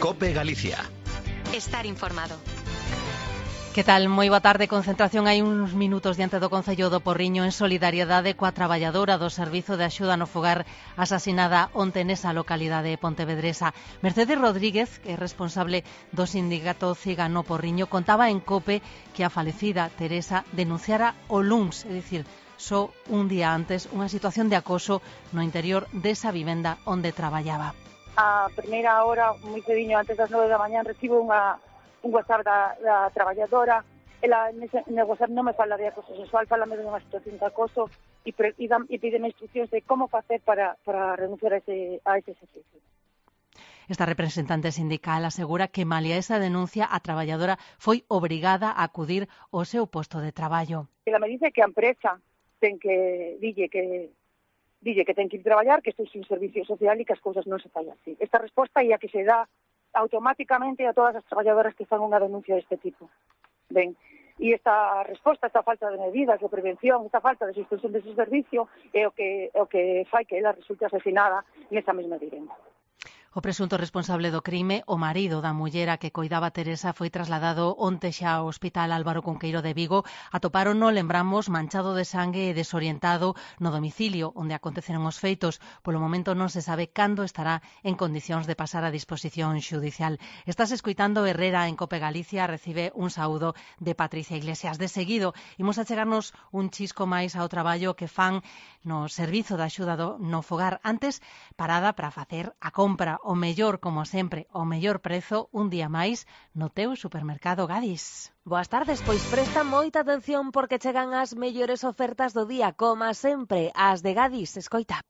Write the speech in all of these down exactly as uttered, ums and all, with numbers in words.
COPE Galicia. Estar informado. Que tal? Moi boa tarde. Concentración hai uns minutos diante do Concello do Porriño en solidariedade coa traballadora do Servizo de Axuda no Fogar asasinada onte nesa localidade pontevedresa. Mercedes Rodríguez, que é responsable do sindicato CIGA no Porriño, contaba en COPE que a falecida Teresa denunciara o luns, é dicir, só un día antes, unha situación de acoso no interior desa vivenda onde traballaba. A primeira hora, moi cediño, antes das nove da mañán, recibo unha un WhatsApp da, da traballadora. Ela nese, nese WhatsApp non me fala de acoso sexual, falame de unha situación de acoso e, pre, e, dan, e pídeme instruccións de como facer para, para renunciar a ese, a ese servicio. Esta representante sindical asegura que malia esa denuncia a traballadora foi obrigada a acudir ao seu posto de traballo. Ela me dice que a empresa ten que dille que dille que ten que ir traballar, que estou sin servicio social e que as cousas non se fai así. Esta resposta é a que se dá automáticamente a todas as traballadoras que fan unha denuncia deste tipo. Ben, e esta resposta, esta falta de medidas de prevención, esta falta de suspensión dese servicio é o que, é o que fai que ela resulte asesinada nesa mesma vivenda. O presunto responsable do crime, o marido da mullera que coidaba Teresa, foi trasladado onte xa ao Hospital Álvaro Cunqueiro de Vigo. Atopárono, lembramos, manchado de sangue e desorientado no domicilio onde aconteceron os feitos. Polo momento non se sabe cando estará en condicións de pasar a disposición xudicial. Estás escoitando Herrera en Cope Galicia, recibe un saúdo de Patricia Iglesias. De seguido, imos a chegarnos un chisco máis ao traballo que fan no Servizo de Axuda do, no Fogar. Antes, parada para facer a compra. O mellor, como sempre, o mellor prezo un día máis no teu supermercado Gadis. Boas tardes, pois presta moita atención porque chegan as mellores ofertas do día, como sempre, as de Gadis. Escoita.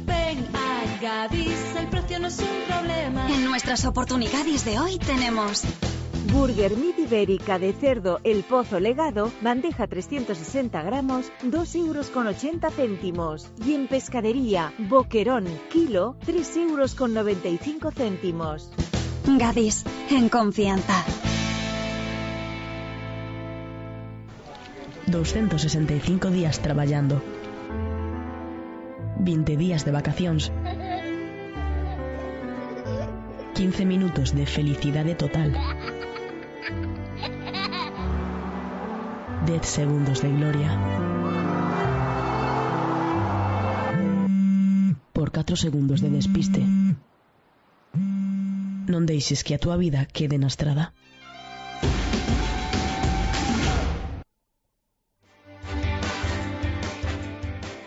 Ven a Gadis, el precio no es un problema. En nuestras oportunidades de hoy tenemos Burger Mid Ibérica de cerdo El Pozo Legado, bandeja trescientos sesenta gramos, dos euros con ochenta céntimos. Y en pescadería, Boquerón, kilo, tres euros con noventa y cinco céntimos. Gadis, en confianza. doscientos sesenta y cinco días traballando. veinte días de vacacións. quince minutos de felicidade total. diez segundos de gloria. Por catro segundos de despiste. Non deixes que a túa vida quede na estrada.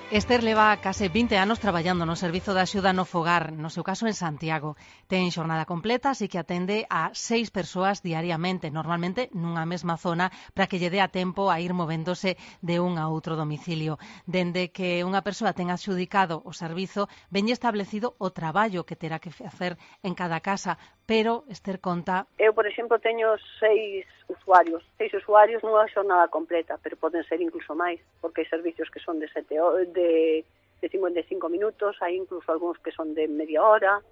Esther leva case vinte anos traballando no Servizo de Axuda no Fogar, no seu caso en Santiago. Ten xornada completa, así que atende a seis persoas diariamente, normalmente nunha mesma zona, para que lle dé a tempo a ir movéndose de un a outro domicilio. Dende que unha persoa ten adxudicado o servizo, veñe establecido o traballo que terá que facer en cada casa, pero Esther conta... Eu, por exemplo, teño seis usuarios, seis usuarios nunha xornada completa, pero poden ser incluso máis, porque hai servicios que son de sete horas, de, de cincuenta e cinco minutos, hai incluso algúns que son de media hora,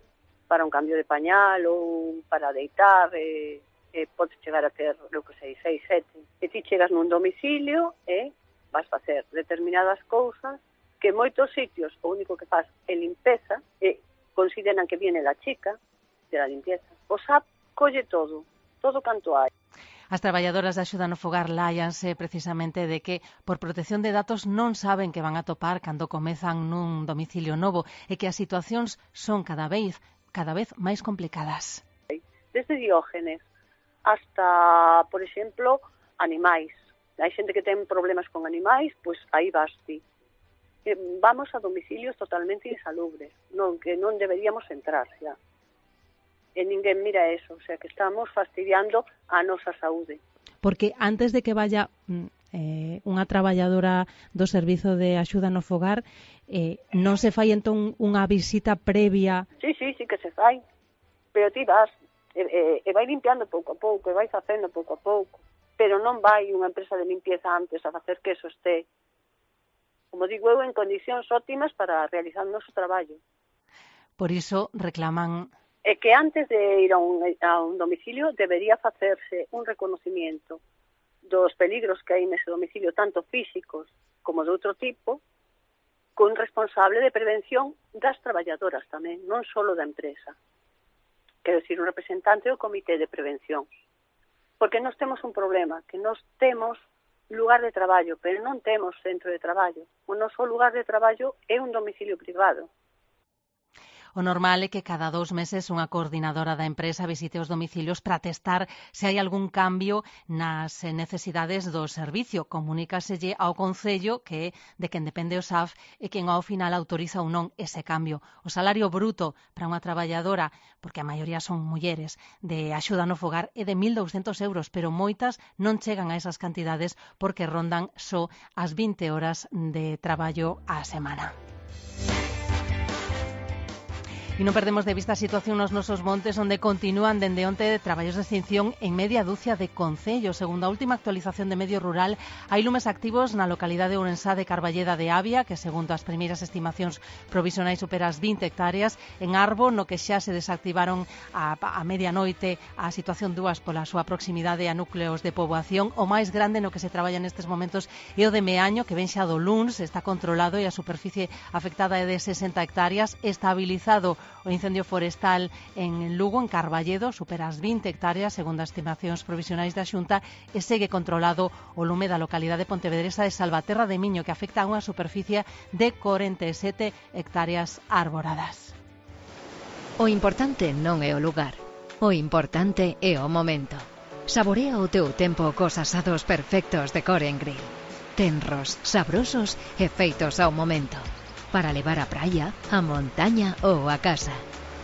para un cambio de pañal ou para deitar, e, e podes chegar a ter, eu que sei, seis, sete. E ti chegas nun domicilio e vas facer determinadas cousas que en moitos sitios o único que faz é limpeza e consideran que viene la chica de la limpieza. O S A P colle todo, todo canto hai. As traballadoras de Axuda no Fogar láianse precisamente de que por protección de datos non saben que van a topar cando comezan nun domicilio novo e que as situacións son cada vez cada vez máis complicadas. Desde Diógenes hasta, por exemplo, animais. Hai xente que ten problemas con animais, pois aí vas ti. Vamos a domicilios totalmente insalubres, non que non deberíamos entrar xa. E ninguén mira eso, o sea que estamos fastidiando a nosa saúde. Porque antes de que vaya eh, unha traballadora do Servizo de Axuda no Fogar, eh, non se fai entón unha visita previa? Sí, sí, sí que se fai, pero ti vas, e, e, e vai limpiando pouco a pouco, e vai facendo pouco a pouco, pero non vai unha empresa de limpieza antes a facer que eso este, como digo eu, en condicións óptimas para realizar o noso traballo. Por iso reclaman... É que antes de ir a un, a un domicilio debería facerse un reconocimiento dos peligros que hai nese domicilio, tanto físicos como de outro tipo, con responsable de prevención das traballadoras tamén, non só da empresa. quero dicir, un representante do Comité de Prevención. Porque nós temos un problema, que nós temos lugar de traballo, pero non temos centro de traballo. O noso lugar de traballo é un domicilio privado. O normal é que cada dous meses unha coordinadora da empresa visite os domicilios para testar se hai algún cambio nas necesidades do servicio. Comunícaselle ao Concello, que é de quen depende o S A F, e quen ao final autoriza ou non ese cambio. O salario bruto para unha traballadora, porque a maioría son mulleres, de axuda no fogar é de mil douscentos euros, pero moitas non chegan a esas cantidades porque rondan só as vinte horas de traballo á semana. E non perdemos de vista a situación nos nosos montes, onde continúan dende onte de traballos de extinción en media dúcia de concellos. Segundo a última actualización de Medio Rural, hai lumes activos na localidade ourensá de Carballeda de Avia, que segundo as primeiras estimacións provisionais supera as vinte hectáreas. En Arbo, no que xa se desactivaron a, a medianoite a situación dúas pola súa proximidade a núcleos de poboación. O máis grande no que se traballa nestes momentos é o de Meaño, que ven xa do luns, está controlado e a superficie afectada é de sesenta hectáreas, estabilizado o incendio forestal en Lugo, en Carballedo, supera as vinte hectáreas, segundo as estimacións provisionais da Xunta, e segue controlado o lume da localidade pontevedresa de Salvaterra de Miño, que afecta a unha superficie de corenta e sete hectáreas arboradas. O importante non é o lugar, o importante é o momento. Saborea o teu tempo cos asados perfectos de Coren Grill. Tenros, sabrosos e feitos ao momento. Para levar á praia, á montaña ou á casa.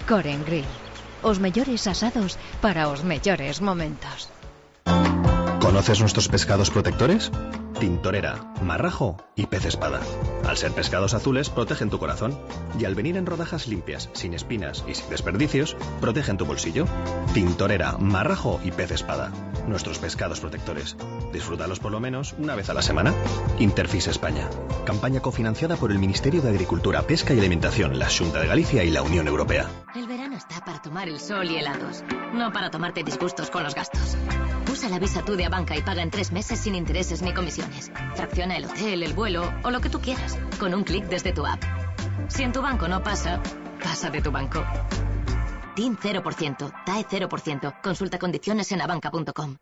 Coren Grill. Os mellores asados para os mellores momentos. ¿Conoces nuestros pescados protectores? Tintorera, marrajo y pez espada. Al ser pescados azules, protegen tu corazón. Y al venir en rodajas limpias, sin espinas y sin desperdicios, protegen tu bolsillo. Tintorera, marrajo y pez espada. Nuestros pescados protectores. Disfrútalos por lo menos una vez a la semana. Interfis España. Campaña cofinanciada por el Ministerio de Agricultura, Pesca y Alimentación, la Xunta de Galicia y la Unión Europea. El verano está para tomar el sol y helados, no para tomarte disgustos con los gastos. Usa la Visa Tú de Abanca y paga en tres meses sin intereses ni comisiones. Fracciona el hotel, el vuelo o lo que tú quieras, con un clic desde tu app. Si en tu banco no pasa, pasa de tu banco. T I N cero por ciento, T A E cero por ciento. Consulta condiciones en abanca punto com.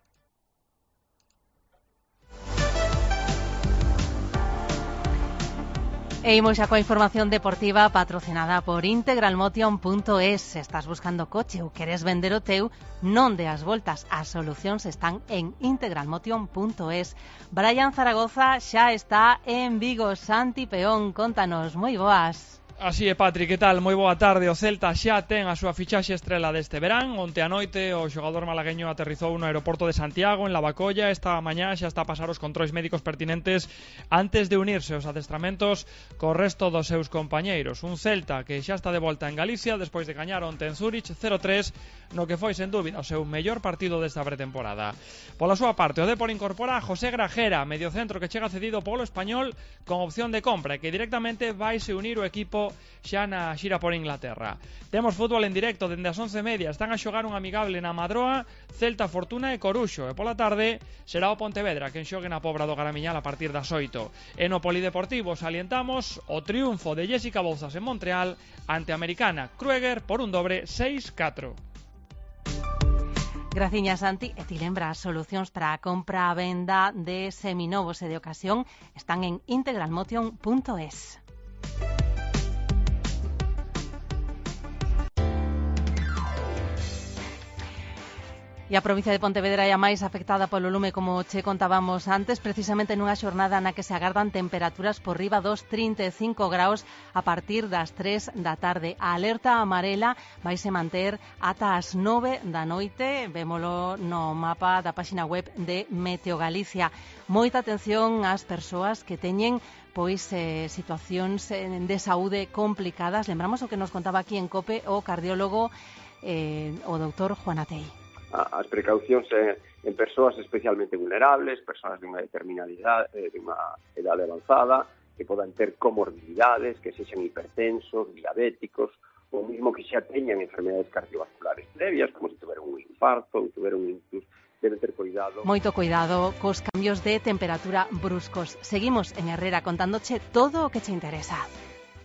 E imos xa coa información deportiva patrocinada por integralmotion punto es. Se estás buscando coche ou queres vender o teu, non deas voltas. As solucións están en integralmotion punto es. Brian Zaragoza xa está en Vigo. Santi Peón, contanos, moi boas. Así é, Patri, que tal? Moi boa tarde. O Celta xa ten a súa fichaxe estrela deste verán. Onte a noite o xogador malagueño aterrizou no aeroporto de Santiago, en Lavacolla. Esta mañá xa está a pasar os controis médicos pertinentes antes de unirse aos adestramentos co resto dos seus compañeiros. Un Celta que xa está de volta en Galicia despois de gañar onte en Zurich cero tres, no que foi sen dúbida o seu mellor partido desta pretemporada. Pola súa parte, o Depor incorpora a José Grajera, mediocentro que chega cedido polo Español con opción de compra e que directamente vai se unir o equipo xa na xira por Inglaterra. Temos fútbol en directo dende as once e media. Están a xogar un amigable na Madroa, Celta, Fortuna e Coruxo. E pola tarde será o Pontevedra quen xogue na Pobra do Garamiñal a partir das oito. E no Polideportivo salientamos o triunfo de Jessica Bouzas en Montreal ante a americana Krueger por un dobre seis catro. Graciña, Santi. E ti lembra, as solucións para a compra a venda de seminovos e de ocasión están en integralmotion punto es. E a provincia de Pontevedra é a máis afectada polo lume, como che contábamos antes, precisamente nunha xornada na que se agardan temperaturas por riba dos trinta e cinco graus a partir das tres da tarde. A alerta amarela vaise manter ata as nove da noite, vémolo no mapa da páxina web de Meteo Galicia. Moita atención ás persoas que teñen pois eh, situacións de saúde complicadas. Lembramos o que nos contaba aquí en COPE o cardiólogo eh, o doutor Juan Atei. As precaucións en persoas especialmente vulnerables, persoas de unha determinada idade, de unha idade avanzada, que podan ter comorbilidades, que sexan hipertensos, diabéticos, ou mesmo que xa teñan enfermedades cardiovasculares previas, como se tuveron un infarto, ou tuveron un ictus, deben ter cuidado. Moito cuidado cos cambios de temperatura bruscos. Seguimos en Herrera contándoche todo o que che interesa.